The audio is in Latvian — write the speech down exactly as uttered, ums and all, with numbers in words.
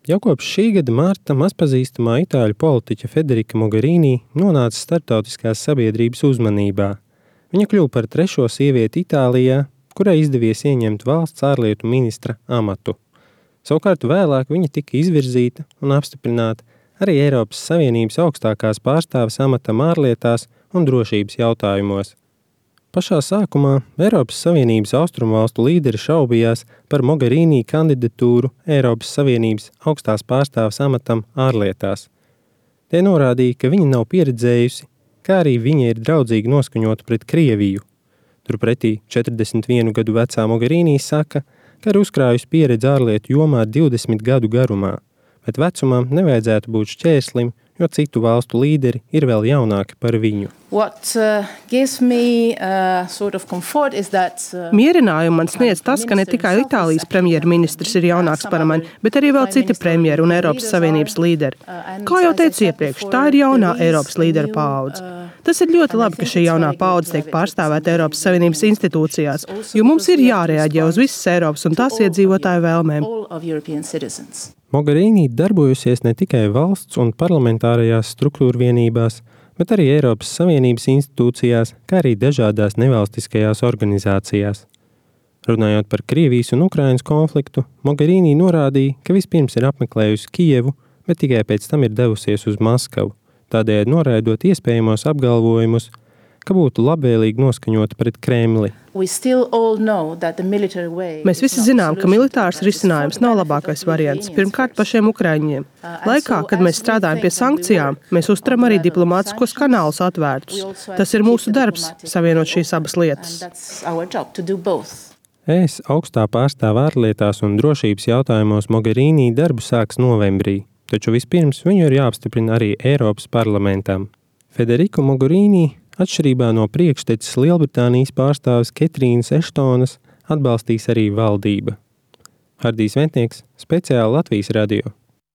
Jau kopš šī gada marta mazpazīstamā itāļu politiķa Federica Mogherini nonāca starptautiskās sabiedrības uzmanībā. Viņa kļuva par trešo sievieti Itālijā, kurai izdevies ieņemt valsts ārlietu ministra amatu. Savukārt vēlāk viņa tika izvirzīta un apstiprināta arī Eiropas Savienības augstākās pārstāves amatam ārlietās un drošības jautājumos. Pašā sākumā Eiropas Savienības austrumvalstu līderi šaubījās par Mogherini kandidatūru Eiropas Savienības augstās pārstāves amatam ārlietās. Tie norādīja, ka viņa nav pieredzējusi, kā arī viņa ir draudzīgi noskaņota pret Krieviju. Turpretī četrdesmit vienu gadu vecā Mogherini saka, ka ir uzkrājusi pieredzi ārlietu jomā divdesmit gadu garumā, bet vecumam nevajadzētu būt šķērslim, jo citu valstu līderi ir vēl jaunāki par viņu. What uh, gives me uh, sort of comfort is that uh, Mierinājumu man sniedz tas, ka ne tikai Itālijas premjerministrs ir jaunāks par mani, bet arī vēl citi premjeri un Eiropas Savienības līderi. Kā jau teicu iepriekš, tā ir jaunā Eiropas līderu paudze. Tas ir ļoti labi, ka šī jaunā paudze tiek pārstāvēta Eiropas Savienības institūcijās, jo mums ir jārēģē uz visas Eiropas un tās iedzīvotāju vēlmēm. Mogherini darbojusies ne tikai valsts un parlamentārajās struktūra vienībās, bet arī Eiropas Savienības institūcijās, kā arī dažādās nevalstiskajās organizācijās. Runājot par Krievijas un Ukrainas konfliktu, Mogherini norādīja, ka vispirms ir apmeklējusi Kijevu, bet tikai pēc tam ir devusies uz Maskavu, tādējādi noraidot iespējamos apgalvojumus, ka būtu labvēlīgi noskaņota pret Kremli. Mēs visi zinām, ka militārs risinājums nav labākais variants, pirmkārt pašiem ukraiņiem. Laikā, kad mēs strādājam pie sankcijām, mēs uzturam arī diplomātiskos kanālus atvērtus. Tas ir mūsu darbs, savienot šīs abas lietas. Es augstā pārstāve ārlietās un drošības jautājumos Mogherini darbu sāks novembrī, taču vispirms viņu ir jāapstiprina arī Eiropas parlamentam. Federica Mogherini, atšķirībā no priekšteces Lielbritānijas pārstāves Ketrīnas Eštonas, atbalstīs arī valdība. Hardijs Ventnieks, speciāli Latvijas radio.